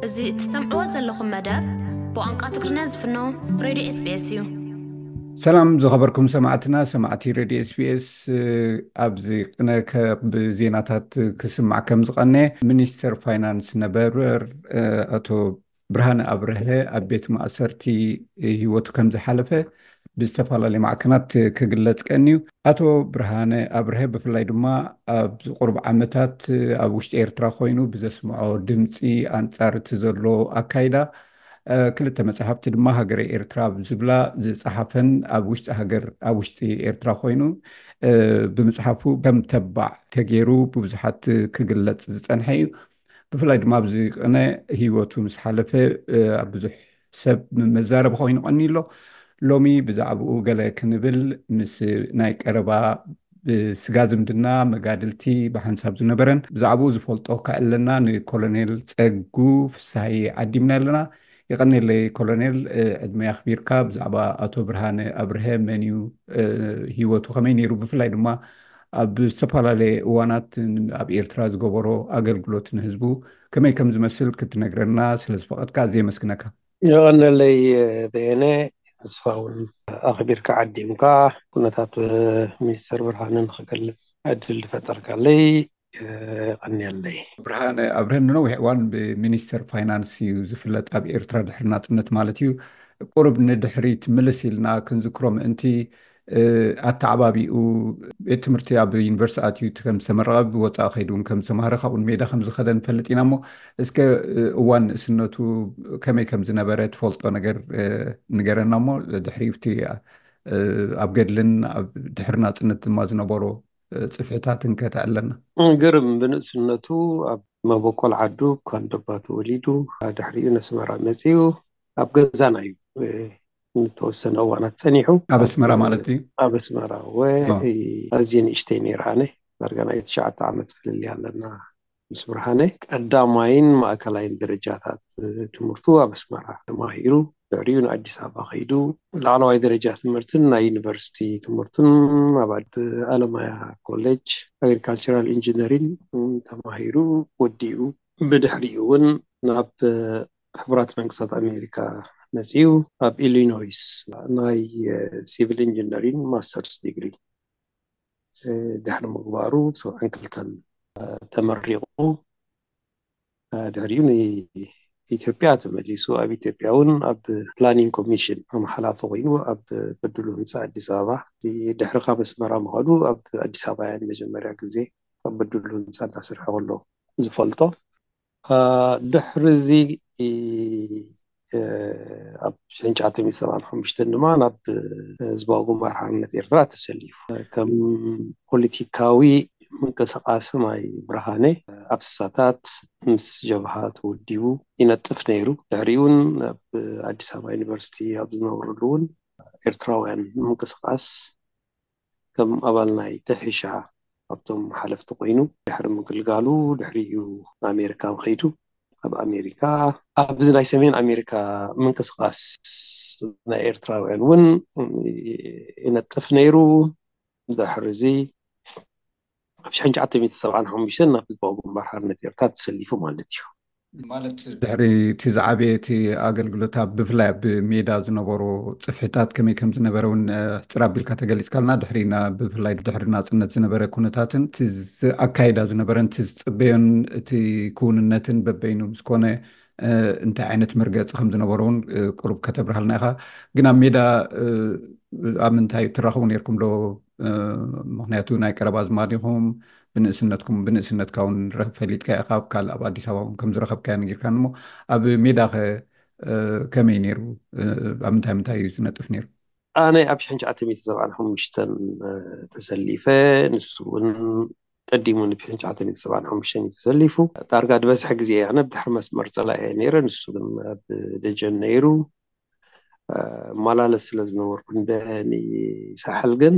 እዚ እትሰምዕዎ ዘለኹም መደብ ብቋንቋ ትግርኛ ዝፍኖ ሬድዮ ኤስቢኤስ እዩ። ሰላም ዝኸበርኩም ሰማዕትና፣ ሰማዕቲ ሬድዮ ኤስቢኤስ። ኣብዚ ቅነ ካብ ዜናታት ክስማዕ ከም ዝቐነ፣ ሚኒስተር ፋይናንስ ነበር ኣቶ ብርሃነ ኣብርሀ ኣብ ቤት ማእሰርቲ ህይወቱ ከም ዝሓለፈ ብዝተፈላለየ ማዕከናት ክግለጽ ቀንዩ። ኣቶ ብርሃነ ኣብርሀ ብፍላይ ድማ ኣብዚ ቁሩብ ዓመታት ኣብ ውሽጢ ኤርትራ ኮይኑ ብዘስምዖ ድምፂ ኣንጻር እቲ ዘሎ ኣካይዳ፣ ክልተ መጽሓፍቲ ድማ ሃገረ ኤርትራ ዝብላ ዝጸሓፈን ኣብ ውሽጢ ሃገር፣ ኣብ ውሽጢ ኤርትራ ኮይኑ ብምጽሓፉ ከም ተባዕ ተገይሩ ብብዙሓት ክግለጽ ዝጸንሐ እዩ። ብፍላይ ድማ ኣብዚ ቅነ ህይወቱ ምስ ሓለፈ ኣብ ብዙሕ ሰብ መዛረቢ ኮይኑ ቀኒ ኣሎ። ሎሚ ብዛዕባኡ ገለ ክንብል ምስ ናይ ቀረባ ብስጋ ዝምድና መጋድልቲ ብሓንሳብ ዝነበረን ብዛዕባኡ ዝፈልጦ ከዕለና ንኮሎኔል ጸጉ ፍሳሃየ ዓዲምና ኣለና። የቐኔለይ ኮሎኔል፣ ዕድመ ኣኽቢርካ ብዛዕባ ኣቶ ብርሃነ ኣብርሀ መን እዩ፣ ህይወቱ ከመይ ነይሩ፣ ብፍላይ ድማ ኣብ ዝተፈላለየ እዋናት ኣብ ኤርትራ ዝገበሮ ኣገልግሎት ንህዝቡ ከመይ ከም ዝመስል ክትነግረና ስለ ዝፈቐድካ ኣዝየ የመስግነካ። የቐነለይ በየነ፣ ንስኻ እውን ኣኽቢርካ ዓዲምካ ኩነታት ሚኒስተር ብርሃነ ንኽገልጽ ዕድል ዝፈጠርካለይ የቐንየለይ። ብርሃነ ኣብርሀ ንነዊሕ እዋን ብሚኒስተር ፋይናንስ እዩ ዝፍለጥ፣ ኣብ ኤርትራ ድሕሪ ናጽነት ማለት እዩ። ቁሩብ ንድሕሪት ምልስ ኢልና ክንዝክሮ ምእንቲ፣ ኣተዓባቢኡ ቤት ትምህርቲ ኣብ ዩኒቨርሲቲ ኣትዩ ከም ዝተመረቐ፣ ብወፃኢ ከይዱ እውን ከም ዝተማሃረ፣ ካብኡን ሜዳ ከም ዝኸደ ንፈልጥ ኢና። እሞ እስከ እዋን ንእስነቱ ከመይ ከም ዝነበረ ትፈልጦ ነገር ንገረና። እሞ ድሕሪ እቲ ኣብ ገድልን ኣብ ድሕሪ ናፅነት ድማ ዝነበሮ ፅፍሕታትን ከተዕለና። ግርም፣ ብንእስነቱ ኣብ መበቆል ዓዱ ካንደባ ተወሊዱ፣ ድሕሪኡ ነስመራ መፂኡ። ኣብ ገዛና እዩ ንተወሰነ እዋናት ፀኒሑ። ኣብ ኣስመራ ማለት እዩ? ኣብ ኣስመራ ወ ኣዝየ ንእሽተይ ነይረ ኣነ፣ ዳርጋ ናይ ትሽዓተ ዓመት ፍልልይ ኣለና ምስ ብርሃነ። ቀዳማይን ማእከላይን ደረጃታት ትምህርቱ ኣብ ኣስመራ ተማሂሩ። ድሕሪኡ ንኣዲስ ኣበባ ከይዱ ላዕለዋይ ደረጃ ትምህርትን ናይ ዩኒቨርሲቲ ትምህርቱን ኣብ ኣድ-፣ ኣለማያ ኮሌጅ ኣግሪካልቸራል ኢንጂነሪን ተማሂሩ ወዲኡ። ብድሕሪኡ እውን ናብ ሕቡራት መንግስታት ኣሜሪካ መፂኡ ኣብ ኢሊኖይስ ናይ ሲቪል ኢንጂነሪን ማስተርስ ዲግሪ ድሕሪ ምግባሩ ሰብዓን ክልተን ተመሪቑ። ድሕሪኡ ንኢትዮጵያ ተመሊሱ ኣብ ኢትዮጵያ እውን ኣብ ፕላኒንግ ኮሚሽን ከም ሓላፊ ኮይኑ ኣብ በድሉ ህንፃ ኣዲስ ኣበባ ድሕሪ ካብ ኣስመራ ምኻዱ ኣብ ኣዲስ ኣበባ እያ ንመጀመርያ ግዜ ኣብ በድሉ ህንፃ እናሰርሐ ከሎ ዝፈልጦ። ድሕሪ እዚ ኣብ ሽሕን ትሽዓተ ሚእትን ሰብዓን ሓሙሽተን ድማ ናብ ህዝባዊ ግንባር ሓርነት ኤርትራ ተሰሊፉ። ከም ፖለቲካዊ ምንቅስቃስ ናይ ብርሃነ ኣብ ስሳታት ምስ ጀብሃ ተወዲቡ ይነጥፍ ነይሩ። ድሕሪኡ እውን ኣብ ኣዲስ ኣበባ ዩኒቨርሲቲ ኣብ ዝነበረሉ እውን ኤርትራውያን ምንቅስቃስ ከም ኣባል ናይ ተሒሻ ካብቶም ሓለፍቲ ኮይኑ ድሕሪ ምግልጋሉ ድሕሪኡ ንኣሜሪካ ከይዱ ኣብ ኣሜሪካ ኣብዚ ናይ ሰሜን ኣሜሪካ ምንቅስቃስ ናይ ኤርትራውያን እውን ይነጥፍ ነይሩ። ድሕሪ እዚ ኣብ ሽሕን ትሽዓተ ሚእትን ሰብዓን ሓሙሽተን ናብ ህዝባዊ ግንባር ሓርነት ኤርትራ ተሰሊፉ ማለት እዩ። ማለት ድሕሪ እቲ ዝዓበየ እቲ ኣገልግሎት ኣብ ብፍላይ ኣብ ሜዳ ዝነበሩ ጽፍሕታት ከመይ ከም ዝነበረ እውን ሕጽር ኣቢልካ ተገሊጽካልና። ድሕሪ ብፍላይ ድሕሪ ናጽነት ዝነበረ ኩነታትን እቲ ኣካይዳ ዝነበረን እቲ ዝጽበዮን እቲ ክውንነትን በበይኑ ምስ ኮነ እንታይ ዓይነት መርገጺ ከም ዝነበሮ እውን ቁሩብ ከተብርሃልና ኢኻ። ግን ኣብ ሜዳ ኣብ ምንታይ ትራኸቡ ነርኩም ዶ? ምኽንያቱ ናይ ቀረባ ኣዝማድ ኢኹም፣ ብንእስነትኩም ብንእስነትካ እውን ፈሊጥካ ኢኻ፣ ኣብ ካልእ ኣብ ኣዲስ ኣበባ እውን ከም ዝረኸብካዮ ነጊርካኒ። እሞ ኣብ ሜዳ ኸ ከመይ ነይሩ? ኣብ ምንታይ ምንታይ እዩ ዝነጥፍ ነይሩ? ኣነ ኣብ ሽሕን ትሽዓተ ሚእትን ሰብዓን ሓሙሽተን ተሰሊፈ፣ ንሱ እውን ቀዲሙ ን ሽሕን ትሽዓተ ሚእትን ሰብዓን ሓሙሽተን እዩ ተሰሊፉ። ዳርጋ ዝበዝሐ ግዜ ኣነ ብድሕሪ መስመር ጸላኢ እየ ነይረ፣ ንሱ ግን ኣብ ደጀን ነይሩ። እመላለስ ስለ ዝነበርኩ እንደ ንሳሕል ግን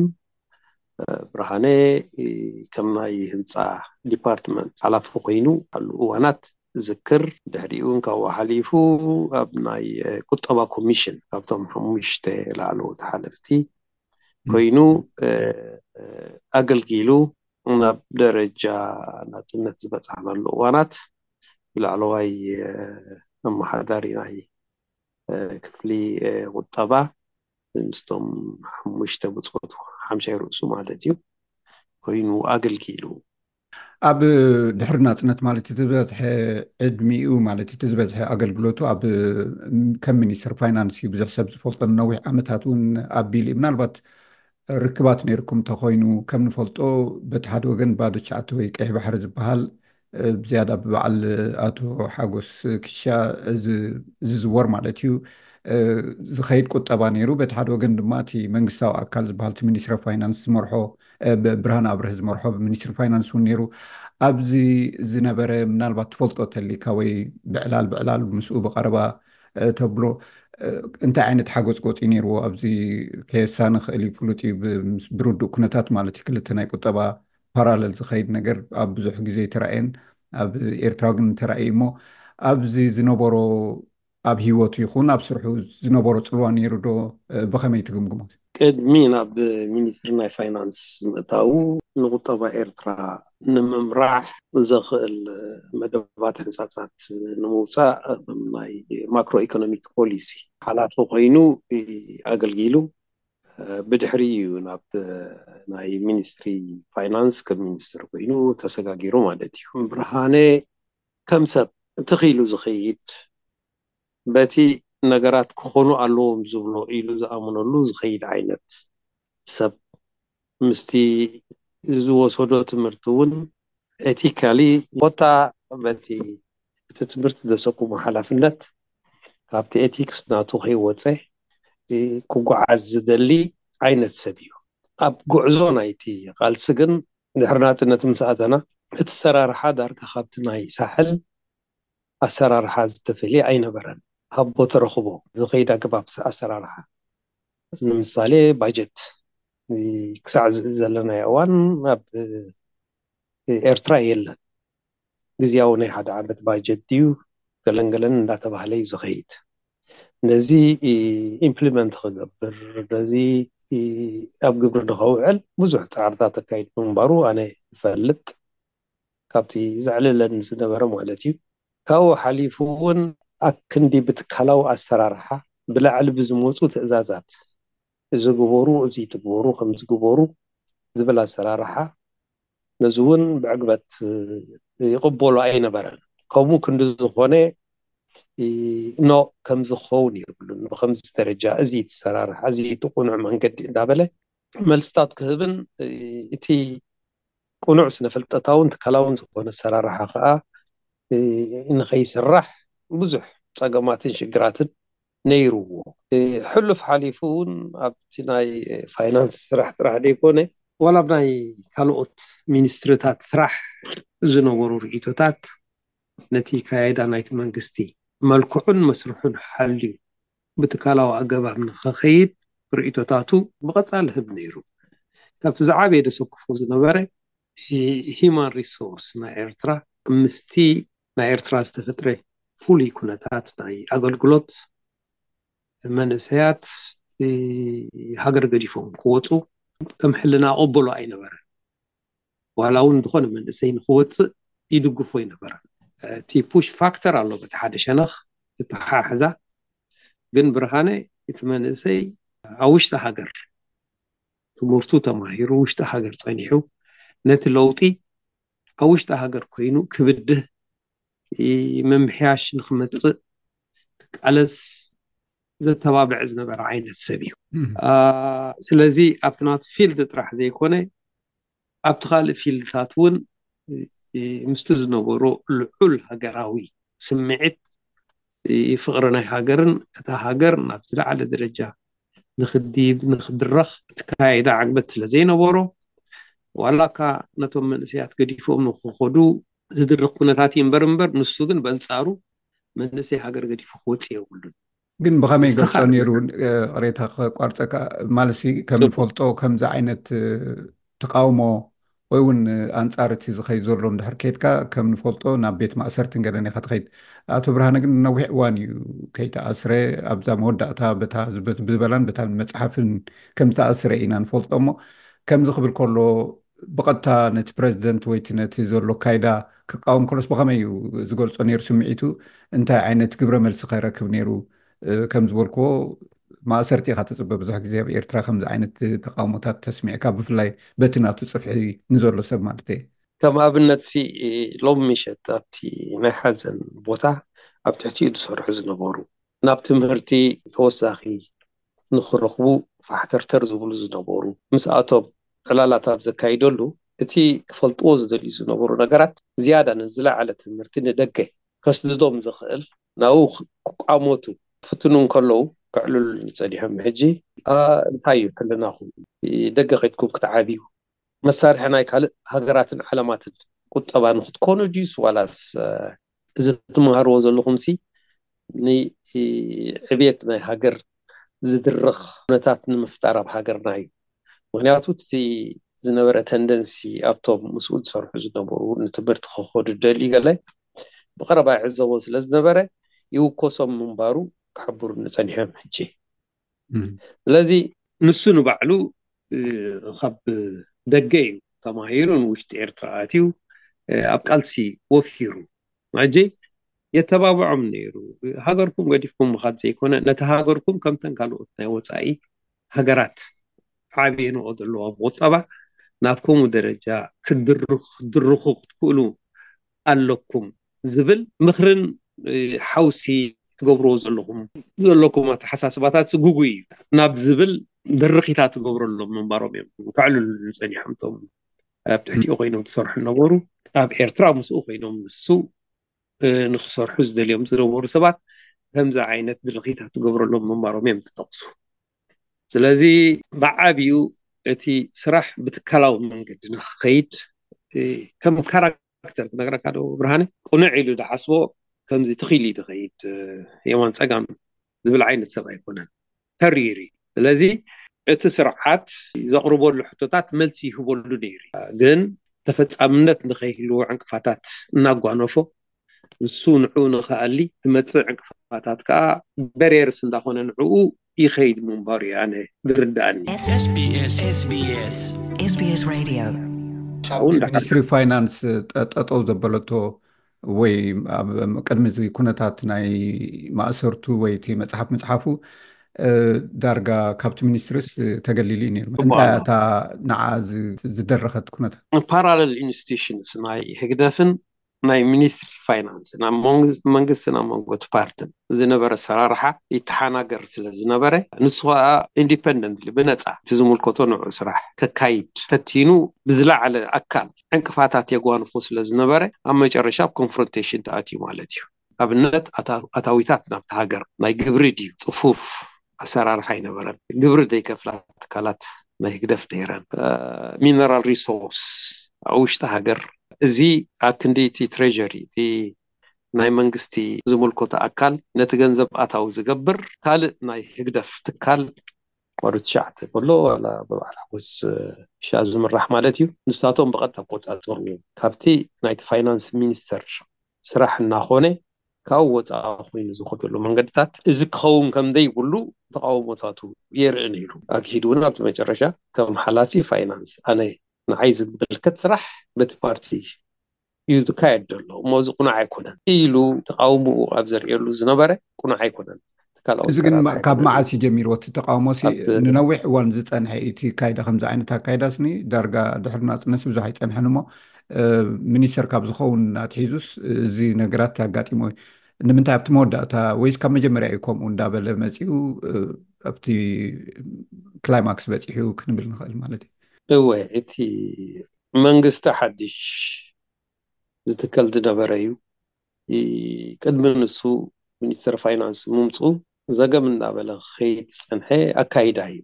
ብርሃነ ከም ናይ ህንፃ ዲፓርትመንት ሓላፊ ኮይኑ ኣሉ እዋናት ዝክር። ድሕሪኡ እውን ካብኡ ሓሊፉ ኣብ ናይ ቁጠባ ኮሚሽን ካብቶም ሓሙሽተ ላዕለዎት ሓለፍቲ ኮይኑ ኣገልጊሉ ናብ ደረጃ ናፅነት ዝበፃሕናሉ እዋናት ብላዕለዋይ ኣመሓዳሪ ናይ ክፍሊ ቁጠባ ምስቶም ሓሙሽተ ብፆቱ ሓምሻይ ርእሱ ማለት እዩ ኮይኑ ኣገልጊሉ። ኣብ ድሕሪ ናፅነት ማለት እቲ ዝበዝሐ ዕድሚኡ ማለት እቲ ዝበዝሐ ኣገልግሎቱ ኣብ ከም ሚኒስትር ፋይናንስ እዩ። ብዙሕ ሰብ ዝፈልጦ ንነዊሕ ዓመታት እውን ኣቢሉ እዩ። ምናልባት ርክባት ነይርኩም እንተኮይኑ ከም ንፈልጦ በቲ ሓደ ወገን ባዶ ትሽዓተ ወይ ቀይሕ ባሕሪ ዝበሃል ብዝያዳ ብበዓል ኣቶ ሓጎስ ክሻ ዝዝወር ማለት እዩ ዝኸይድ ቁጠባ ነይሩ። በቲ ሓደ ወገን ድማ እቲ መንግስታዊ ኣካል ዝበሃል እቲ ሚኒስትሪ ፋይናንስ ዝመርሖ ብርሃን ኣብርህ ዝመርሖ ሚኒስትሪ ፋይናንስ እውን ነይሩ። ኣብዚ ዝነበረ ምናልባት ትፈልጦ ተሊካ ወይ ብዕላል ብዕላል ምስኡ ብቀረባ ተብሎ እንታይ ዓይነት ሓጎፅጎፂ ነይርዎ? ኣብዚ ከየሳኒ ክእል እዩ። ፍሉጥ እዩ ብርዱእ ኩነታት ማለት እዩ። ክልተ ናይ ቁጠባ ፓራለል ዝኸይድ ነገር ኣብ ብዙሕ ግዜ ተራእየን ኣብ ኤርትራ ግን ተራእዩ እሞ ኣብዚ ዝነበሮ ኣብ ህይወቱ ይኹን ኣብ ስርሑ ዝነበሮ ፅልዋ ነይሩ ዶ? ብኸመይ ትግምግሞ? ቅድሚ ናብ ሚኒስትሪ ናይ ፋይናንስ ምእታዉ ንቁጠባ ኤርትራ ንምምራሕ ዘኽእል መደባት ሕንፃፃት ንምውፃእ ናይ ማክሮ ኢኮኖሚክ ፖሊሲ ሓላፊ ኮይኑ ኣገልጊሉ። ብድሕሪ እዩ ናብ ናይ ሚኒስትሪ ፋይናንስ ከም ሚኒስትር ኮይኑ ተሰጋጊሩ ማለት እዩ። ብርሃነ ከም ሰብ ትኽኢሉ ዝኸይድ በቲ ነገራት ክኾኑ ኣለዎም ዝብሎ ኢሉ ዝኣምነሉ ዝኸይድ ዓይነት ሰብ ምስቲ ዝወሰዶ ትምህርቲ እውን ኤቲካሊ ኮታ በቲ እቲ ትምህርቲ ዘሰኩሞ ሓላፍነት ካብቲ ኤቲክስ ናቱ ከይወፀ ክጓዓዝ ዝደሊ ዓይነት ሰብ እዩ። ኣብ ጉዕዞ ናይቲ ቃልሲ ግን ድሕሪ ናፅነት ምስ ኣተና እቲ ኣሰራርሓ ዳርጋ ካብቲ ናይ ሳሕል ኣሰራርሓ ዝተፈልየ ኣይነበረን። ሃቦ ተረኽቦ ዝኸይድ ኣገባብ ኣሰራርሓ ንምሳሌ ባጀት ክሳዕ ዘለናዮ እዋን ኣብ ኤርትራ የለን። ግዝያዊ ናይ ሓደ ዓመት ባጀት ድዩ ገለንገለን እንዳተባህለ እዩ ዝኸይድ። ነዚ ኢምፕሊመንት ክገብር ነዚ ኣብ ግብሪ ንኸውዕል ብዙሕ ፃዕርታት ተካይድ ምንባሩ ኣነ ይፈልጥ። ካብቲ ዘዕልለን ዝነበረ ማለት እዩ። ካብኡ ሓሊፉ እውን ኣክንዲ ብትካላዊ ኣሰራርሓ ብላዕሊ ብዝመፁ ትእዛዛት እዚ ግበሩ እዚ ትግበሩ ከም ዝግበሩ ዝብል ኣሰራርሓ ነዚ እውን ብዕግበት ይቕበሎ ኣይነበረን። ከምኡ ክንዲ ዝኾነ ኖ ከምዚ ክኸውን የብሉን። ብከምዚ ደረጃ እዚ ትሰራርሓ እዚ ትቁኑዕ መንገዲ እንዳበለ መልስታት ክህብን እቲ ቅኑዕ ስነፍልጠታውን ትካላውን ዝኾነ ኣሰራርሓ ከዓ ንኸይስራሕ ብዙሕ ፀገማትን ሽግራትን ነይርዎ። ሕሉፍ ሓሊፉ እውን ኣብቲ ናይ ፋይናንስ ስራሕ ጥራሕ ዘይኮነ ዋላ ኣብ ናይ ካልኦት ሚኒስትርታት ስራሕ ዝነበሩ ርእይቶታት ነቲ ካያይዳ ናይቲ መንግስቲ መልክዑን መስርሑን ሓልዩ ብትካላዊ ኣገባብ ንኸኸይድ ርእይቶታቱ ብቐጻሊ ህብ ነይሩ። ካብቲ ዝዓበየ ደሰክፎ ዝነበረ ሂማን ሪሶርስ ናይ ኤርትራ ምስቲ ናይ ኤርትራ ዝተፈጥረ ፍሉይ ኩነታት ናይ ኣገልግሎት መንእሰያት ሃገር ገዲፎም ክወፁ ከም ሕልና ኣቐበሎ ኣይነበረን። ዋላ እውን ዝኾነ መንእሰይ ንክወፅእ ይድግፎ ኣይነበረን። እቲ ፑሽ ፋክተር ኣሎ በቲ ሓደ ሸነኽ ዝተሓሕዛ ግን ብርሃነ እቲ መንእሰይ ኣብ ውሽጢ ሃገር ትምህርቱ ተማሂሩ ውሽጢ ሃገር ፀኒሑ ነቲ ለውጢ ኣብ ውሽጢ ሃገር ኮይኑ ክብድህ ምምሕያሽ ንክመፅእ ክቃለስ ዘተባብዕ ዝነበረ ዓይነት ሰብ እዩ። ስለዚ ኣብቲ ናቱ ፊልድ ጥራሕ ዘይኮነ ኣብቲ ካልእ ፊልድታት እውን ምስቲ ዝነበሮ ልዑል ሃገራዊ ስምዒት ፍቕሪ ናይ ሃገርን እታ ሃገር ናብ ዝለዓለ ደረጃ ንክዲብ ንክድረኽ እትካየዳ ዓግበት ስለ ዘይነበሮ ዋላ እካ ነቶም መንእሰያት ገዲፎም ንክኸዱ ዝድርኽ ኩነታት እዩ እምበር እምበር ንሱ ግን በንፃሩ መንእሰይ ሃገር ገዲፉ ክወፅእ የብሉን። ግን ብኸመይ ገልፆ ነይሩ? ቅሬታ ክቋርፀካ ማለሲ ከም ንፈልጦ ከምዚ ዓይነት ተቃውሞ ወይ እውን ኣንፃር እቲ ዝኸይድ ዘሎ እንድሕር ከይድካ ከም ንፈልጦ ናብ ቤት ማእሰርትን ገለን ኢኻ ትኸይድ። ኣቶ ብርሃነ ግን ነዊሕ እዋን እዩ ከይተኣስረ ኣብዛ መወዳእታ በታ ዝበላን በታ መፅሓፍን ከም ዝተኣስረ ኢና ንፈልጦ እሞ ከምዚ ክብል ከሎ ብቐጥታ ነቲ ፕረዚደንት ወይቲ ነቲ ዘሎ ካይዳ ክቃወም ከሎስ ብኸመይ እዩ ዝገልጾ ነይሩ ስምዒቱ? እንታይ ዓይነት ግብረ መልሲ ከረክብ ነይሩ? ከም ዝበልክዎ ማእሰርቲ ኢኻ ተፅበ። ብዙሕ ግዜ ኣብ ኤርትራ ከምዚ ዓይነት ተቃውሞታት ተስሚዕካ፣ ብፍላይ በቲ ናቱ ፅፍሒ ንዘሎ ሰብ ማለት እየ። ከም ኣብነት ሲ ሎም ምሸት ኣብቲ ናይ ሓዘን ቦታ ኣብ ትሕቲኡ ዝሰርሑ ዝነበሩ፣ ናብ ትምህርቲ ተወሳኺ ንክረኽቡ ፋሕተርተር ዝብሉ ዝነበሩ፣ ምስኣቶም ዕላላት ኣብ ዘካይደሉ እቲ ክፈልጥዎ ዝደልዩ ዝነበሩ ነገራት ዝያዳ ንዝለዓለ ትምህርቲ ንደገ ከስድዶም ዝኽእል ናብኡ ክቋመቱ ክፍትኑ እንከለዉ ከዕልሉኒ ጸኒሖም። ሕጂ እንታይ እዩ ሕልናኹም? ደገ ከድኩም ክትዓብዩ መሳርሒ ናይ ካልእ ሃገራትን ዓለማትን ቁጠባ ንክትኮኑ ድዩስ ዋላስ እዚ ትመሃርዎ ዘለኹም ሲ ንዕብየት ናይ ሃገር ዝድርኽ ኩነታት ንምፍጣር ኣብ ሃገርና እዩ። ምክንያቱ እቲ ዝነበረ ተንደንሲ ኣብቶም ምስኡ ዝሰርሑ ዝነበሩ ንትምህርቲ ክኸዱ ደልዩ ገለ ብቐረባ ይዕዘቦ ስለ ዝነበረ ይውኮሶም ምንባሩ ክሕብሩኒ ጸኒሖም። ሕጂ ስለዚ ንሱ ንባዕሉ ካብ ደገ እዩ ተማሂሩ ንውሽጢ ኤርትራ ኣትዩ ኣብ ቃልሲ ወፊሩ። ሕጂ የተባብዖም ነይሩ። ሃገርኩም ገዲፍኩም ምኻድ ዘይኮነ ነቲ ሃገርኩም ከምተን ካልኦት ናይ ወፃኢ ሃገራት ዓብየንኦ ዘለዋ ቁጠባ ናብ ከምኡ ደረጃ ክትድርኹ ክትክእሉ ኣለኩም ዝብል ምኽርን ሓውሲ ትገብርዎ ዘለኹም ዘለኩም ኣተሓሳስባታት ዝጉጉይ እዩ ናብ ዝብል ድርኺታት ትገብረሎም ምንባሮም እዮም ከዕልሉ ጸኒሖም። እቶም ኣብ ትሕቲኡ ኮይኖም ትሰርሑ ነበሩ ኣብ ኤርትራ ምስኡ ኮይኖም ንሱ ንክሰርሑ ዝደልዮም ዝነበሩ ሰባት ከምዚ ዓይነት ድርኺታት ትገብረሎም ምንባሮም እዮም ትጠቕሱ። ስለዚ ብዓብዩ እቲ ስራሕ ብትካላዊ መንገዲ ንክኸይድ ከም ካራክተር ክነግረካ ዶ ብርሃነ ቅኑዕ ኢሉ ድሓስቦ ከምዚ ትኺል እዩ ድኸይድ የማን ፀጋም ዝብል ዓይነት ሰብ ኣይኮነን። ተሪር እዩ። ስለዚ እቲ ስርዓት ዘቕርበሉ ሕቶታት መልሲ ይህበሉ ነይሩ። ግን ተፈጻምነት ንኸይህልዎ ዕንቅፋታት እናጓነፎ ንሱ ንዕኡ ንኽኣሊ ዝመፅእ ዕንቅፋታት ከዓ በሬርስ እንዳኾነ ንዕኡ ይኸይድ ምንባሩ እዩ ኣነ ዝርድኣኒ። SBS SBS SBS Radio። ሚኒስትሪ ፋይናንስ ጠጠው ዘበለቶ ወይ ቅድሚ እዚ ኩነታት ናይ ማእሰርቱ ወይ እቲ መፅሓፍ ምፅሓፉ ዳርጋ ካብቲ ሚኒስትሪስ ተገሊሉ እዩ ነይሩ። እንታይ እታ ንዓ ዝደረኸት ኩነታት? ፓራለል ኢንስቲቱሽንስ ናይ ህግደፍን ናይ ሚኒስትሪ ፋይናንስ ናብ መንግስትን ኣብ መንጎ እቲ ፓርትን ዝነበረ ኣሰራርሓ ይተሓናገር ስለ ዝነበረ ንሱ ከዓ ኢንዲፐንደንትሊ ብነፃ እቲ ዝምልከቶ ንዑ ስራሕ ከካይድ ፈቲኑ ብዝለዓለ ኣካል ዕንቅፋታት የጓንፎ ስለ ዝነበረ ኣብ መጨረሻ ኣብ ኮንፍሮንቴሽን ተኣትዩ ማለት እዩ። ኣብነት ኣታዊታት ናብቲ ሃገር ናይ ግብሪ ድዩ ፅፉፍ ኣሰራርሓ ኣይነበረን። ግብሪ ዘይከፍላ ትካላት ናይ ህግደፍ ነይረን። ሚነራል ሪሶርስ ኣብ ውሽጢ ሃገር እዚ ኣብ ክንዲ እቲ ትሬሪ እቲ ናይ መንግስቲ ዝምልከቶ ኣካል ነቲ ገንዘብ ኣታዊ ዝገብር ካልእ ናይ ህግደፍ ትካል ወሩ ትሽዓተ ከሎ ዋላ ብበዓል ሓጎስ ሻ ዝምራሕ ማለት እዩ። ንሳቶም ብቐጥታ ቆፃፀሩ ካብቲ ናይቲ ፋይናንስ ሚኒስተር ስራሕ እናኾነ ካብኡ ወፃኢ ኮይኑ ዝኸደሉ መንገድታት እዚ ክኸውን ከም ዘይብሉ ተቃውሞታቱ የርኢ ነይሩ። ኣግሂዱ እውን ኣብቲ መጨረሻ ከም ሓላፊ ፋይናንስ ኣነ ንዓይ ዝምልከት ስራሕ በቲ ፓርቲ እዩ ዝካየድ ዘሎ እሞ እዚ ቁኑዕ ኣይኮነን ኢሉ ተቃውሞኡ ኣብ ዘርእየሉ ዝነበረ ቁኑዕ ኣይኮነን። እዚ ግን ካብ መዓስ እዩ ጀሚርዎ እቲ ተቃውሞ? ንነዊሕ እዋን ዝፀንሐ እቲ ካይዳ ከምዚ ዓይነት ኣካይዳስኒ ዳርጋ ድሕሪ ናፅነትሲ ብዙሕ ኣይፀንሐን እሞ ሚኒስተር ካብ ዝኸውን ኣትሒዙስ እዚ ነገራት ኣጋጢሞ እዩ። ንምንታይ ኣብቲ መወዳእታ ወይስ ካብ መጀመርያ እዩ ከምኡ እንዳበለ መፂኡ ኣብቲ ክላይማክስ በፂሑ ክንብል ንኽእል ማለት እዩ? እወ፣ እቲ መንግስቲ ሓድሽ ዝትከል ዝነበረ እዩ። ቅድሚ ንሱ ሚኒስተር ፋይናንስ ምምፅኡ ዘገም እናበለ ክኸይድ ዝፀንሐ ኣካይዳ እዩ።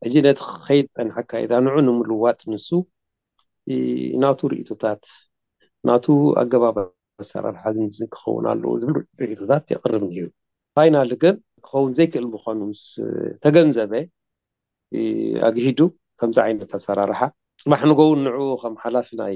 ሕጂ ነቲ ክኸይድ ዝፀንሐ ኣካይዳ ንዑ ንምልዋጥ ንሱ ናቱ ርእቶታት ናቱ ኣገባብ ኣሰራርሓ ዝምዝን ክኸውን ኣለዎ ዝብል ርእቶታት የቕርብ ነይሩ። ፋይናል ግን ክኸውን ዘይክእል ምዃኑ ምስ ተገንዘበ ኣግሂዱ ከምዚ ዓይነት ኣሰራርሓ ፅባሕ ንጎውን ንዕኡ ከም ሓላፊ ናይ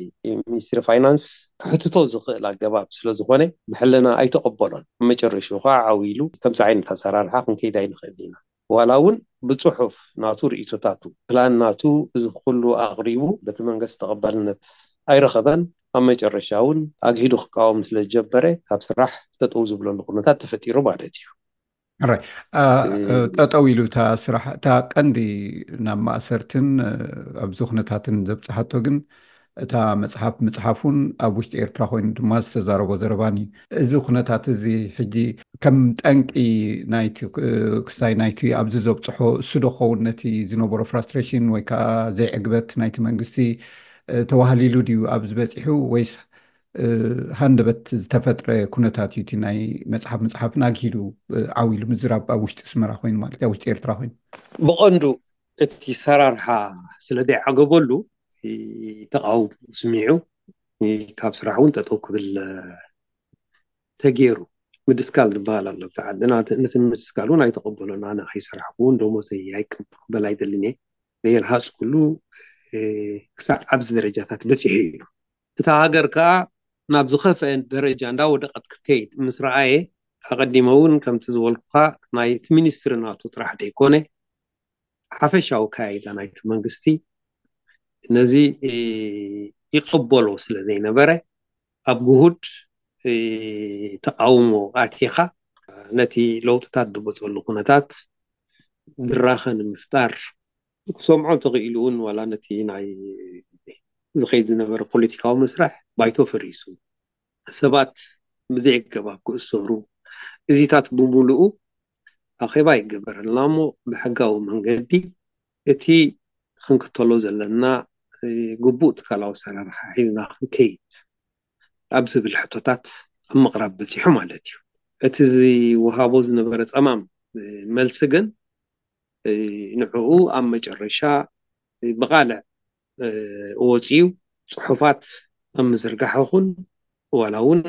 ሚኒስትሪ ፋይናንስ ክሕትቶ ዝኽእል ኣገባብ ስለ ዝኾነ ብሕልና ኣይተቐበሎን። መጨረሽኡ ከዓ ዓው ኢሉ ከምዚ ዓይነት ኣሰራርሓ ክንከይድ ኣይንኽእል ኢና ዋላ እውን ብፅሑፍ ናቱ ርእይቶታቱ፣ ፕላን ናቱ፣ እዚ ኩሉ ኣቕሪቡ በቲ መንግስቲ ተቐባልነት ኣይረኸበን። ኣብ መጨረሻ እውን ኣግሂዱ ክቃወም ስለ ዝጀመረ ካብ ስራሕ ጠጠው ዝብለሉ ኩነታት ተፈጢሩ ማለት እዩ። ራይ ጠጠው ኢሉ እታ ስራሕ፣ እታ ቀንዲ ናብ ማእሰርትን ኣብዚ ኩነታትን ዘብፅሓቶ ግን እታ መፅሓፍ ምፅሓፉን ኣብ ውሽጢ ኤርትራ ኮይኑ ድማ ዝተዛረቦ ዘረባን እዩ። እዚ ኩነታት እዚ ሕጂ ከም ጠንቂ ናይቲ ክስታይ ናይቲ ኣብዚ ዘብፅሖ እሱ ዶ ክኸውን ነቲ ዝነበሮ ፍራስትሬሽን ወይ ከዓ ዘይዕግበት ናይቲ መንግስቲ ተዋህሊሉ ድዩ ኣብዚ በፂሑ ወይስ ሃንደበት ዝተፈጥረ ኩነታት እዩ? እቲ ናይ መፅሓፍ ምፅሓፍን ኣግሂዱ ዓው ኢሉ ምዝራብ ኣብ ውሽጢ ኣስመራ ኮይኑ ማለት ኣብ ውሽጢ ኤርትራ ኮይኑ ብቐንዱ እቲ ሰራርሓ ስለ ዘይዓገበሉ ተቃውሞ ስሚዑ ካብ ስራሕ እውን ጠጠው ክብል ተገይሩ። ምድስካል ዝበሃል ኣሎ ኣብቲ ዓድና። ነቲ ምድስካል እውን ኣይተቐበሎን። ኣነ ከይሰራሕኩ እውን ደሞዘይ ኣይቅበል ኣይደልን እየ። ዘይረሃፅኩሉ ክሳዕ ኣብዚ ደረጃታት በፂሑ እዩ። እታ ሃገር ከዓ ናብ ዝኸፍአ ደረጃ እንዳወደቐት ክትከይድ ምስ ረኣየ፣ ኣቐዲመ እውን ከምቲ ዝበልኩኻ ናይቲ ሚኒስትሪ ናቱ ጥራሕ ዘይኮነ ሓፈሻዊ ኣካያይዳ ናይቲ መንግስቲ ነዚ ይቕበሎ ስለ ዘይነበረ ኣብ ግሁድ ተቃውሞ ኣቲኻ ነቲ ለውጥታት ዝመፀሉ ኩነታት ድራኸ ንምፍጣር ክሰምዖ እንተኽኢሉ እውን ዋላ ነቲ ናይ ዝኸይድ ዝነበረ ፖለቲካዊ መስርሕ ባይቶ ፈሪሱ ሰባት ብዘይ ኣገባብ ክእሰሩ እዚታት ብምሉኡ ኣኼባ ይገበረልና እሞ ብሕጋዊ መንገዲ እቲ ክንክተሎ ዘለና ግቡእ ትካላዊ ኣሰራርሓ ሒዝና ክንከይድ ኣብ ዝብል ሕቶታት ኣብ ምቕራብ በፂሑ ማለት እዩ። እቲ ዝወሃቦ ዝነበረ ፀማም መልሲ ግን ንዕኡ ኣብ መጨረሻ ብቓልዕ ወፂኡ ፅሑፋት ኣብ ምዝርጋሕ ይኹን ዋላ እውን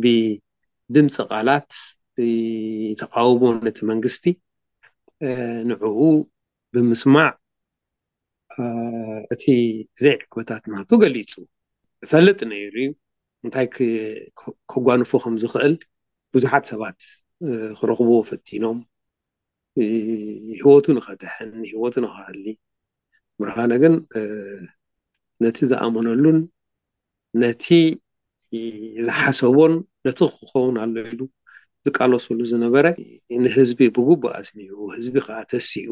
ብድምፂ ቃላት ተቃውሞ ነቲ መንግስቲ ንዕኡ ብምስማዕ እቲ ዘይዕግበታት ናቱ ገሊፁ። ይፈልጥ ነይሩ እዩ እንታይ ከጓንፎ ከም ዝኽእል ብዙሓት ሰባት ክረኽብዎ ፈቲኖም። ህይወቱ ንኸድሕን ህይወቱ ንኸሃሊ ብርሃነ ግን ነቲ ዝኣመነሉን ነቲ ዝሓሰቦን ነቲ ክኸውን ኣሎ ኢሉ ዝቃለሱሉ ዝነበረ ንህዝቢ ብግቡእ ኣስሚዑ ህዝቢ ከዓ ተሲኡ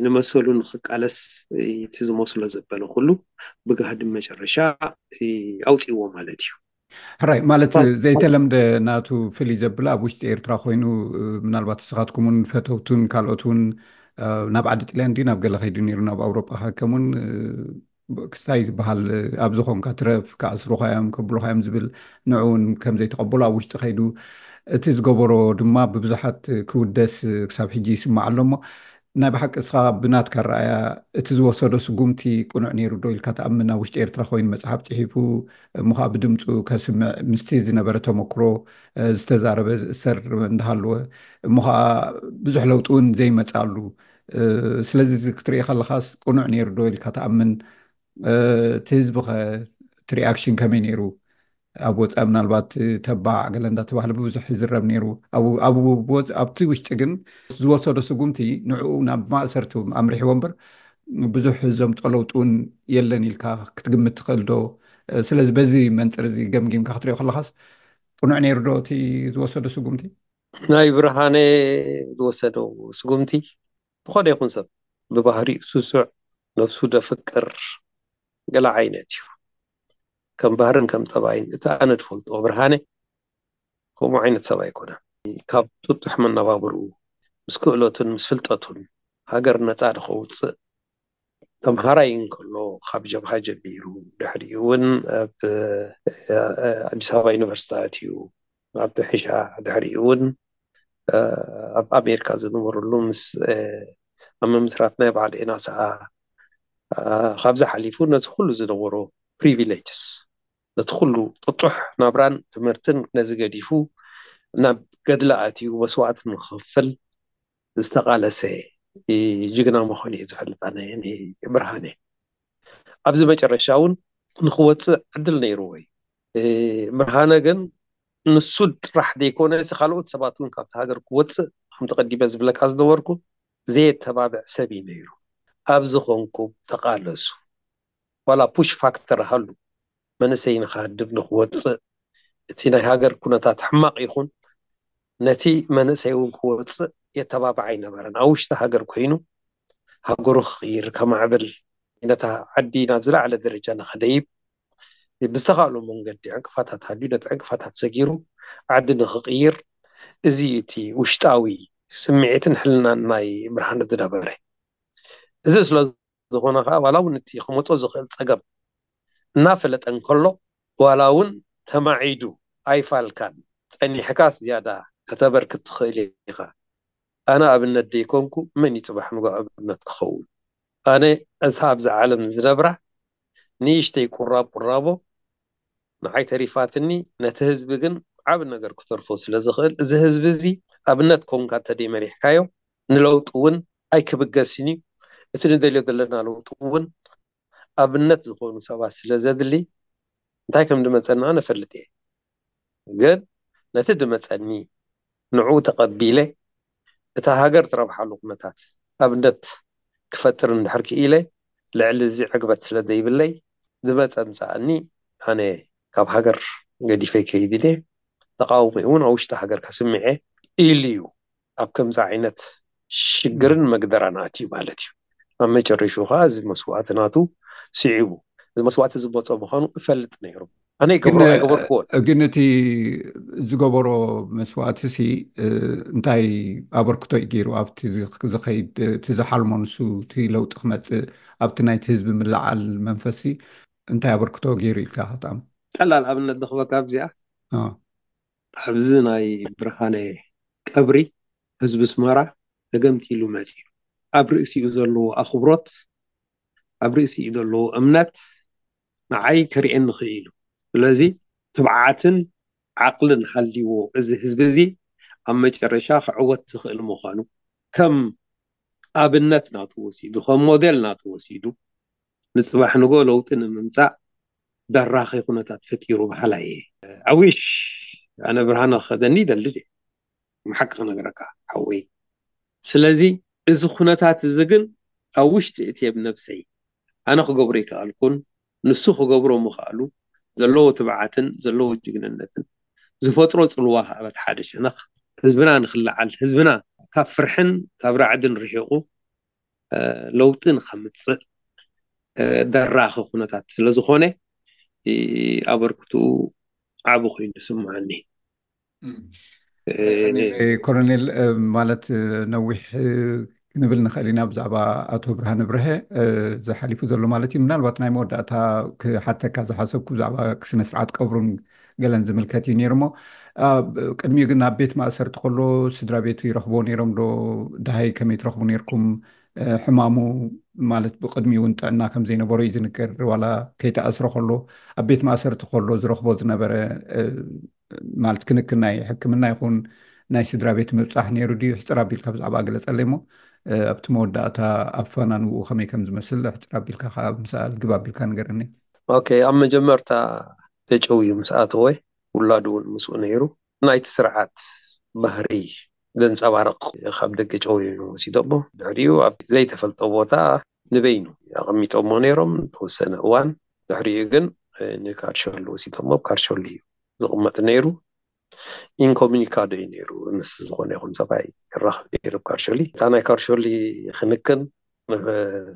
ንመሰሉ ንክቃለስ እቲ ዝመስሎ ዘበለ ኩሉ ብጋህዲ መጨረሻ ኣውፅዎ ማለት እዩ። ሕራይ ማለት ዘይተለምደ ናቱ ፍልይ ዘብላ ኣብ ውሽጢ ኤርትራ ኮይኑ ምናልባት ንስኻትኩም እውን ፈተውቱን ካልኦት እውን ናብ ዓዲ ጥልያን ድዩ ናብ ገለ ከይዱ ነይሩ ናብ ኣውሮጳ ከከም እውን ክስታይ ዝበሃል ኣብ ዝኾንካ ትረፍ ክኣስሩኻ እዮም ከብሉኻ እዮም ዝብል ንዑ እውን ከም ዘይተቐበሉ ኣብ ውሽጢ ከይዱ እቲ ዝገበሮ ድማ ብብዙሓት ክውደስ ክሳብ ሕጂ ይስማዕ ኣሎ እሞ ናይ ብሓቂ እስኻ ብናትካ ረኣያ እቲ ዝወሰዶ ስጉምቲ ቅኑዕ ነይሩ ዶ ኢልካ ትኣምን? ኣብ ውሽጢ ኤርትራ ኮይኑ መፅሓፍ ፅሒፉ እሞ ከዓ ብድምፁ ከስምዕ ምስቲ ዝነበረ ተመክሮ ዝተዛረበ ዝእሰር እንዳሃለወ እሞ ከዓ ብዙሕ ለውጢ እውን ዘይመፃሉ ስለዚ ክትርኢ ከለካስ ቅኑዕ ነይሩ ዶ ኢልካ ትኣምን? እቲ ህዝቢ ከ እቲ ሪኣክሽን ከመይ ነይሩ? ኣብ ወፃኢ ምናልባት ተባዕ ገለ እንዳተባህለ ብብዙሕ ይዝረብ ነይሩ። ኣብቲ ውሽጢ ግን ዝወሰዶ ስጉምቲ ንዕኡ ናብ ማእሰርቲ ኣምሪሕዎ እምበር ብዙሕ ዘምፆ ለውጢ እውን የለን ኢልካ ክትግምት ትኽእል ዶ? ስለዚ በዚ መንፅር እዚ ገምጊምካ ክትሪኦ ከለካስ ቅኑዕ ነይሩ ዶ እቲ ዝወሰዶ ስጉምቲ? ናይ ብርሃነ ዝወሰዶ ስጉምቲ ዝኾነ ይኹን ሰብ ብባህሪኡ ስሱዕ ነብሱ ደፍቅር ገለ ዓይነት እዩ። ከም ባህርን ከም ጠባይን እቲ ኣነ ዝፈልጦ ብርሃነ ከምኡ ዓይነት ሰብ ኣይኮነን። ካብ ጥጡሕ መነባብርኡ ምስ ክእለቱን ምስ ፍልጠቱን ሃገር ነፃ ድኸውፅእ ተምሃራይ እንከሎ ካብ ጀብሃ ጀሚሩ ድሕሪኡ እውን ኣብ ኣዲስ ኣበባ ዩኒቨርሲቲ ኣትዩ ኣብቲ ሕሻ ድሕሪኡ እውን ኣብ ኣሜሪካ ዝነበረሉ ምስ ኣብ ምምስራት ናይ በዓል ኤናሳ ካብዚ ሓሊፉ ነዚ ኩሉ ዝነበሮ ፕሪቪሌጅስ ነቲ ኩሉ ጥጡሕ ናብራን ትምህርትን ነዚ ገዲፉ ናብ ገድሊ ኣትዩ መስዋእቲ ንክኽፍል ዝተቓለሰ ጅግና ምዃኑ እየ ዝፈልጥ ኣነ ብርሃነ። ኣብዚ መጨረሻ እውን ንክወፅእ ዕድል ነይርዎ እዩ። ብርሃነ ግን ንሱ ጥራሕ ዘይኮነ ካልኦት ሰባት እውን ካብቲ ሃገር ክወፅእ ከምቲ ቀዲመ ዝብለካ ዝነበርኩ ዘየተባብዕ ሰብ እዩ ነይሩ። ኣብዚ ኮንኩም ተቓለሱ፣ ዋላ ፑሽ ፋክተር ሃሉ፣ መንእሰይ ንክሃድም ንክወፅእ፣ እቲ ናይ ሃገር ኩነታት ሕማቕ ይኹን፣ ነቲ መንእሰይ እውን ክወፅእ የተባብዕ ኣይነበረን። ኣብ ውሽጢ ሃገር ኮይኑ ሃገሩ ክቕይር፣ ከማዕብል፣ ነታ ዓዲ ናብ ዝለዓለ ደረጃ ንክደይብ ብዝተኻእሎ መንገዲ ዕንቅፋታት ሃልዩ ነቲ ዕንቅፋታት ሰጊሩ ዓዲ ንክቕይር፣ እዚ እቲ ውሽጣዊ ስምዒትን ሕልናን ናይ ብርሃነ ዝነበረ። እዚ ስለ ዝኾነ ከዓ ዋላ እውን እቲ ክመፆ ዝኽእል ፀገም እናፈለጠ እንከሎ ዋላ እውን ተማዒዱ ኣይፋልካን፣ ፀኒሕካ ዝያዳ ከተበርክት ትኽእል ኢኻ። ኣነ ኣብነት ደይኮንኩ መን እዩ ፅባሕ ንጎ ኣብነት ክኸውን? ኣነ እታ ኣብዚ ዓለም ዝነብራ ንእሽተይ ቁራብ ቁራቦ ንዓይ ተሪፋትኒ፣ ነቲ ህዝቢ ግን ዓቢ ነገር ክተርፎ ስለ ዝኽእል፣ እዚ ህዝቢ እዚ ኣብነት ኮንካ እንተደይመሪሕካዮ ንለውጢ እውን ኣይክብገስን እዩ። እቲ ንደልዮ ዘለና ለውጢ እውን ኣብነት ዝኾኑ ሰባት ስለ ዘድሊ እንታይ ከም ዝመፀና ነፈልጥ እየ። ግን ነቲ ዝመፀኒ ንዕኡ ተቐቢለ እታ ሃገር ትረብሓሉ ኩነታት ኣብነት ክፈጥር እንድሕር ክኢለ ልዕሊ እዚ ዕግበት ስለ ዘይብለይ ዝመፀ ምፃኣኒ ኣነ ካብ ሃገር ገዲፈ ከይድን እየ። ተቃውሞ እውን ኣብ ውሽጢ ሃገር ከስምዐ ኢሉ እዩ ኣብ ከምዚ ዓይነት ሽግርን መግደራን ኣትዩ ማለት እዩ። ኣብ መጨረሽኡ ከዓ እዚ መስዋእቲ ናቱ ስዒቡ እዚ መስዋእቲ ዝመፆ ምዃኑ እፈልጥ ነይሩ። ኣነ ይገብሮ ኣይገበርክዎን። ግን እቲ ዝገበሮ መስዋእቲ ሲ እንታይ ኣበርክቶ እዩ ገይሩ ኣብቲ ዝኸይድ እቲ ዝሓልሞ ንሱ እቲ ለውጢ ክመፅእ ኣብቲ ናይቲ ህዝቢ ምልዓል መንፈሲ እንታይ ኣበርክቶ ገይሩ ኢልካ ከጣም? ቀላል ኣብነት ንኽበካ ኣብዚኣ ኣብዚ ናይ ብርሃነ ቀብሪ ህዝቢ ስመራ ተገምቲሉ መፂኡ ኣብ ርእሲኡ ዘለዎ ኣኽብሮት ኣብ ርእሲኡ ዘለዎ እምነት ንዓይ ከርእየኒ ክኢሉ። ስለዚ ትብዓትን ዓቕልን ሃልይዎ እዚ ህዝቢ እዚ ኣብ መጨረሻ ክዕወት ዝኽእል ምዃኑ ከም ኣብነት ናቱ ወሲዱ ከም ሞዴል ናቱ ወሲዱ ንፅባሕ ንጎ ለውጢ ንምምፃእ ደራኺ ኩነታት ፈጢሩ በሃላይ እየ። ኣዊሽ ኣነ ብርሃነ ክኸደኒ ይደሊ ድየ? ብሓቂ ክነግረካ ሓወይ። ስለዚ እዚ ኩነታት እዚ ግን ኣብ ውሽጢ እቲ ኣብ ነብሰይ ኣነ ክገብሮ ይከኣልኩን ንሱ ክገብሮ ምኽኣሉ ዘለዎ ትብዓትን ዘለዎ ጅግንነትን ዝፈጥሮ ፅልዋ ከኣበት ሓደ ሸነኽ ህዝብና ንክለዓል ህዝብና ካብ ፍርሕን ካብ ራዕድን ርሒቑ ለውጢ ንከምፅእ ደራኺ ኩነታት ስለዝኾነ ኣበርክትኡ ዓቢ ኮይኑ ይስምዓኒ። ኮሎኔል ማለት ነዊሕ ክንብል ንኽእል ኢና ብዛዕባ ኣቶ ብርሃነ ብርሀ ዝሓሊፉ ዘሎ ማለት እዩ። ምናልባት ናይ መወዳእታ ክሓተካ ዝሓሰብኩ ብዛዕባ ስነ ስርዓት ቀብሩን ገለን ዝምልከት እዩ ነይሩ እሞ ቅድሚኡ ግን ኣብ ቤት ማእሰርቲ ከሎ ስድራ ቤቱ ይረኽቦ ነይሮም ዶ? ደሃይ ከመይ ትረኽቡ ነይርኩም? ሕማሙ ማለት ብቅድሚኡ እውን ጥዕና ከም ዘይነበሮ እዩ ዝንገር። ዋላ ከይተኣስረ ከሎ ኣብ ቤት ማእሰርቲ ከሎ ዝረኽቦ ዝነበረ ማለት ክንክን ናይ ሕክምና ይኹን ናይ ስድራ ቤት ምብፃሕ ነይሩ ድዩ? ሕፅር ኣቢልካ ብዛዕባ ግለፀለይ እሞ ኣብቲ መወዳእታ ኣፈናንውኡ ከመይ ከም ዝመስል ሕፅር ኣቢልካ ከዓ ምሳል ግብ ኣቢልካ ንገረኒ። ኦኬ፣ ኣብ መጀመርታ ተጨውዩ ምስ ኣተወ ውላዱ እውን ምስኡ ነይሩ። ናይቲ ስርዓት ባህሪ ዘንፀባርቕ ካብ ደገ ጨውዮም ወሲዶሞ። ድሕሪኡ ኣብ ዘይተፈልጠ ቦታ ንበይኑ ኣቐሚጦሞ ነይሮም። ንተወሰነ እዋን ድሕሪኡ ግን ንካርሾሊ ወሲዶሞ። ኣብ ካርሾሊ እዩ ዝቕመጥ ነይሩ። ኢንኮሚኒካዶ እዩ ነይሩ። ምስ ዝኾነ ይኹን ሰብኣይ ይራኸብ ነይሩ ኣብ ካርሾሊ። እታ ናይ ካርሾሊ ክንክን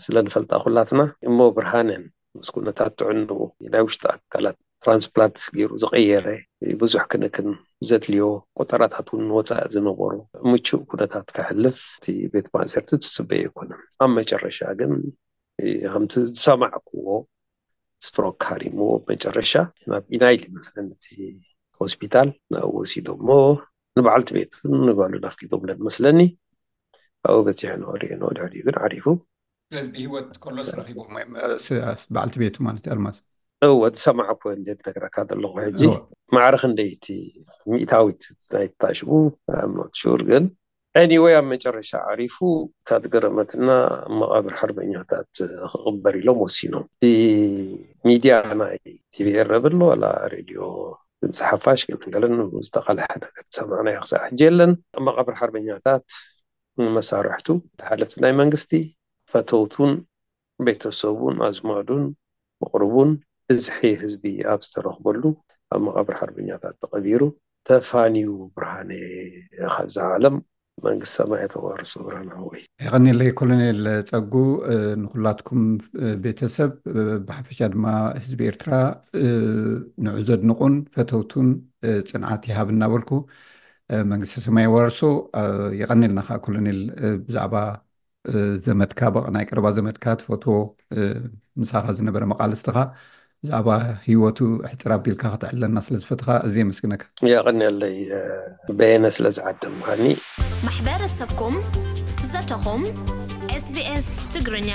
ስለ ንፈልጣ ኩላትና እሞ ብርሃነን ምስ ኩነታት ጥዕንኡ ናይ ውሽጢ ኣካላት ትራንስፕላንት ገይሩ ዝቐየረ ብዙሕ ክንክን ዘድልዮ ቆጠራታት እውን ንወፃኢ ዝነበሩ ምቹእ ኩነታት ከሕልፍ እቲ ቤት ማእሰርቲ ትፅበዮ ኣይኮነን። ኣብ መጨረሻ ግን ከምቲ ዝሰማዕክዎ ስትሮክ ሃሪምዎ መጨረሻ ናብ ኢናይል ይመስለኒ እቲ ሆስፒታል ናብኡ ወሲዶሞ ንበዓልቲ ቤቱ ንጓሉ ናፍቂዶምለን መስለኒ ኣብኡ በፂሑ ንኸሪኦ ንድሕሪኡ ግን ዓሪፉ ስለዚ ብህይወት ከሎስ ረኺቦም እዮም በዓልቲ ቤቱ ማለት እዩ ኣልማዝ እወ ዝሰማዕኩ እንዴት ነግረካ ዘለኹ ሕጂ ማዕረ ክንደይቲ ሚእታዊት ናይታ ሽሙ I'm not sure ግን anyway ኣብ መጨረሻ ዓሪፉ እታ ዝገረመትና ኣብ መቓብር ሓርበኛታት ክቕበር ኢሎም ወሲኖም ብሚድያ ናይ ቲቪ ኤረብ ኣሎ ዋላ ሬድዮ ድምፂ ሓፋሽ ገለን ገለን ዝተቓልሐ ነገር ዝሰማዕናዮ ክሳዕ ሕጂ የለን ኣብ መቓብር ሓርበኛታት ንመሳርሕቱ፣ ተሓለፍቲ ናይ መንግስቲ፣ ፈተውቱን ቤተሰቡን ኣዝማዱን መቕርቡን ብዝሒ ህዝቢ ኣብ ዝተረኽበሉ ኣብ መቓብር ሓርበኛታት ተቐቢሩ። ተፋንዩ ብርሃነ ካብዛ ዓለም። መንግስቲ ሰማይ ተዋርሶ ብርሃነ ሓወይ። የቐንየለይ ኮሎኔል ጸጉ። ንኹላትኩም ቤተሰብ፣ ብሓፈሻ ድማ ህዝቢ ኤርትራ ንዑ ዘድንቑን ፈተውቱን ጽንዓት ይሃብ እናበልኩ፣ መንግስቲ ሰማይ የዋርሶ። የቐንየልና ከዓ ኮሎኔል፣ ብዛዕባ ዘመድካ፣ በቕ ናይ ቀረባ ዘመድካ ትፈትዎ፣ ምሳኻ ዝነበረ መቓልስትኻ ብዛዕባ ህይወቱ ሕጽር ኣቢልካ ከተዕልለና ስለ ዝፈትኻ ኣዝየ የመስግነካ። የቐንየለይ በየነ ስለ ዝዓደምካኒ። ማሕበረሰብኩም ዘተኹም። SBS ትግርኛ።